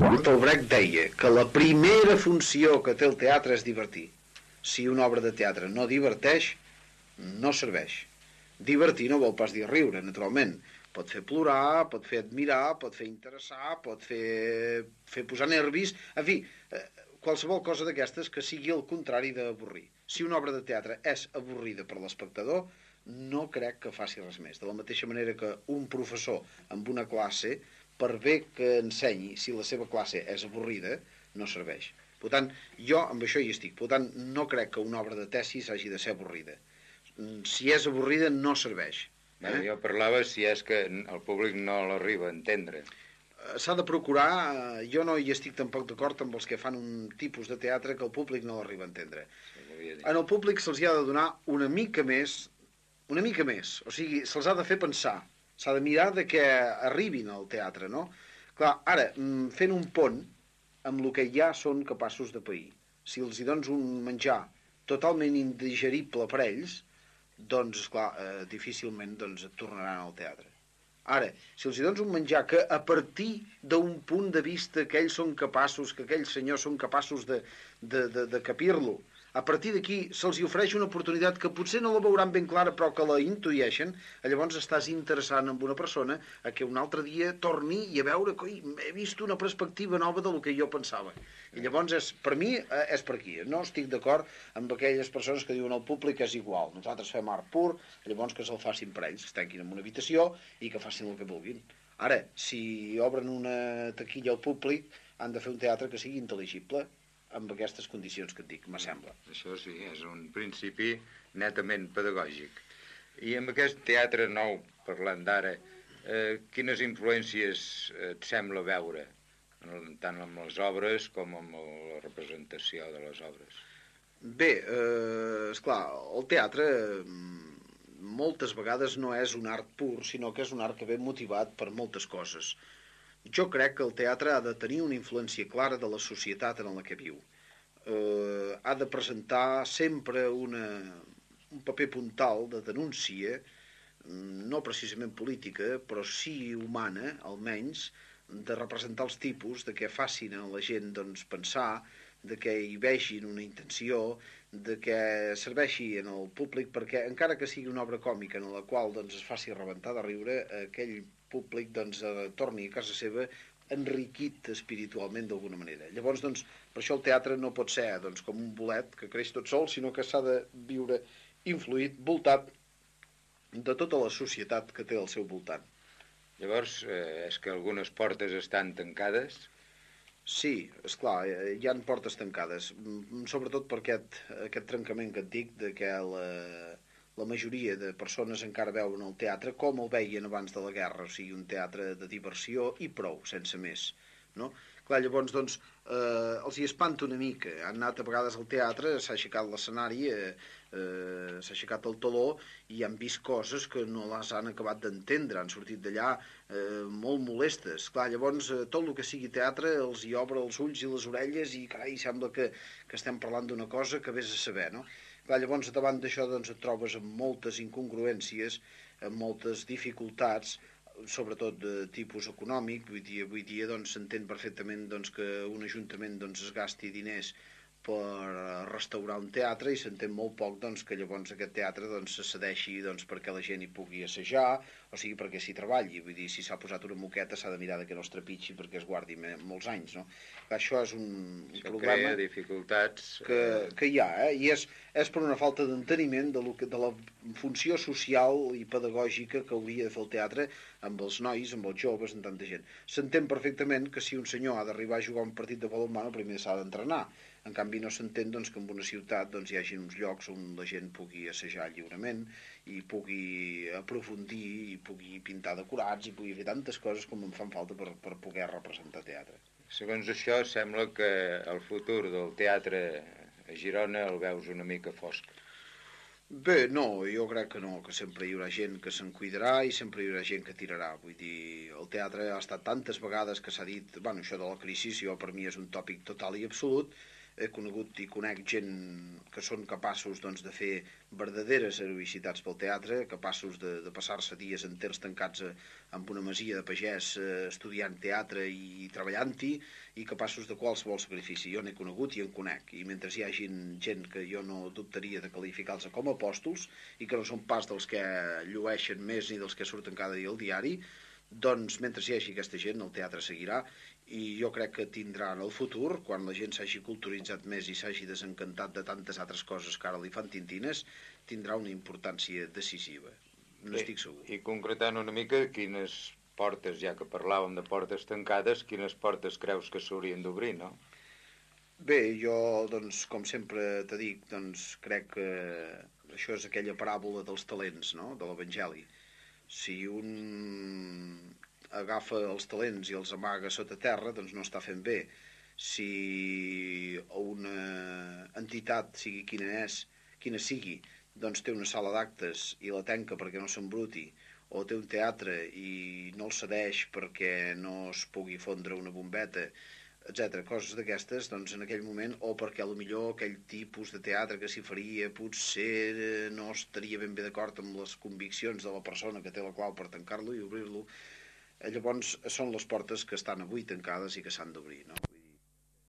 Bertolt Brecht deia que la primera funció que té el teatre és divertir. Si una obra de teatre no diverteix, no serveix. Divertir no vol pas dir riure, naturalment. Pot fer plorar, pot fer admirar, pot fer interessar, pot fer posar nervis, en fi, qualsevol cosa d'aquestes que sigui el contrari d'avorrir. Si una obra de teatre és avorrida per l'espectador, no crec que faci res més. De la mateixa manera que un professor amb una classe, per bé que ensenyi, si la seva classe és avorrida, no serveix. Per tant, jo amb això hi estic. Per tant, no crec que una obra de tesis hagi de ser avorrida. Si és avorrida, no serveix. Jo parlava si és que el públic no l'arriba a entendre. S'ha de procurar, jo no hi estic tampoc d'acord amb els que fan un tipus de teatre que el públic no l'arriba a entendre. En el públic se'ls ha de donar una mica més, o sigui, se'ls ha de fer pensar, s'ha de mirar de que arribin al teatre, no? Clar, ara, fent un pont amb el que ja són capaços de pair, si els hi dones un menjar totalment indigerible per ells, doncs, esclar, difícilment doncs, et tornaran al teatre. Ara, si els hi dones un menjar que a partir d'un punt de vista que ells són capaços, que aquells senyors són capaços de capir-lo, a partir d'aquí se'ls hi ofereix una oportunitat que potser no la veuran ben clara però que la intueixen, llavors estàs interessant en una persona a que un altre dia torni i a veure que he vist una perspectiva nova del que jo pensava. I llavors per mi és per aquí. No estic d'acord amb aquelles persones que diuen el públic és igual, nosaltres fem art pur, llavors que se'l facin per ells, es tanquin en una habitació i que facin el que vulguin. Ara, si obren una taquilla al públic, han de fer un teatre que sigui intel·ligible amb aquestes condicions que et dic, me sembla. Això sí, és un principi netament pedagògic. I amb aquest teatre nou, parlant d'ara, quines influències et sembla veure, tant amb les obres com amb la representació de les obres? Bé, esclar, el teatre moltes vegades no és un art pur, sinó que és un art que ve motivat per moltes coses. Jo crec que el teatre ha de tenir una influència clara de la societat en la que viu. Ha de presentar sempre un paper puntal de denúncia, no precisament política, però sí humana, almenys, de representar els tipus, de que facin a la gent doncs, pensar, de que hi vegin una intenció, de que serveixi en el públic, perquè encara que sigui una obra còmica en la qual doncs, es faci rebentar de riure, aquell públic doncs, torni a casa seva enriquit espiritualment d'alguna manera. Llavors, doncs, per això el teatre no pot ser doncs, com un bolet que creix tot sol, sinó que s'ha de viure influït, voltat de tota la societat que té al seu voltant. Llavors, és que algunes portes estan tancades? Sí, esclar, hi ha portes tancades, sobretot per aquest trencament que et dic de que la majoria de persones encara veuen el teatre com el veien abans de la guerra, o sigui, un teatre de diversió i prou, sense més, no? Clar, llavors, doncs, els hi espanta una mica. Han anat a vegades al teatre, s'ha aixecat l'escenari, s'ha aixecat el taló i han vist coses que no les han acabat d'entendre, han sortit d'allà molt molestes. Clar, llavors, tot el que sigui teatre els hi obre els ulls i les orelles i, carai, sembla que estem parlant d'una cosa que vés a saber, no? Clar, llavors, davant d'això, doncs, et trobes amb moltes incongruències, amb moltes dificultats, sobretot de tipus econòmic. Avui dia doncs, s'entén perfectament doncs, que un ajuntament doncs, es gasti diners per restaurar un teatre i s'entén molt poc doncs, que llavors aquest teatre doncs, se cedeixi doncs, perquè la gent hi pugui assajar, o sigui perquè s'hi treballi. Vull dir, si s'ha posat una moqueta s'ha de mirar que no es trepitgi perquè es guardi molts anys, no? Això és un problema crea dificultats que hi ha, i és per una falta d'enteniment de la funció social i pedagògica que hauria de fer el teatre amb els nois, amb els joves, amb tanta gent. S'entén perfectament que si un senyor ha d'arribar a jugar un partit de balonmano primer s'ha d'entrenar. En canvi no s'entén doncs, que en una ciutat doncs, hi hagi uns llocs on la gent pugui assajar lliurement i pugui aprofundir i pugui pintar decorats i pugui fer tantes coses com em fan falta per poder representar teatre. Segons això sembla que el futur del teatre a Girona el veus una mica fosc. Bé, no, jo crec que no, que sempre hi haurà gent que se'n cuidarà i sempre hi haurà gent que tirarà. Vull dir, el teatre ha estat tantes vegades que s'ha dit, bueno, això de la crisi, jo per mi és un tòpic total i absolut. he conegut i conec gent que són capaços doncs, de fer verdaderes heroïcitats pel teatre, capaços de passar-se dies enters tancats en una masia de pagès estudiant teatre i treballant-hi, i capaços de qualsevol sacrifici. Jo n'he conegut i en conec, i mentre hi hagi gent que jo no dubtaria de qualificar-los com a apòstols i que no són pas dels que llueixen més ni dels que surten cada dia al diari, doncs mentre hi hagi aquesta gent el teatre seguirà, i jo crec que tindrà en el futur, quan la gent s'hagi culturitzat més i s'hagi desencantat de tantes altres coses que ara li fan tintines, tindrà una importància decisiva, n'estic segur. I concretant una mica, quines portes, ja que parlàvem de portes tancades, quines portes creus que s'haurien d'obrir, no? Bé, jo, doncs, com sempre te dic, doncs, crec que això és aquella paràbola dels talents, no?, de l'Evangeli. Si un agafa els talents i els amaga sota terra, doncs no està fent bé. Si una entitat, sigui quina sigui, doncs té una sala d'actes i la tanca perquè no s'embruti, o té un teatre i no el cedeix perquè no es pugui fondre una bombeta, etc. Coses d'aquestes, doncs en aquell moment, o perquè millor aquell tipus de teatre que s'hi faria potser no estaria ben bé d'acord amb les conviccions de la persona que té la clau per tancar-lo i obrir-lo, llavors són les portes que estan avui tancades i que s'han d'obrir, no?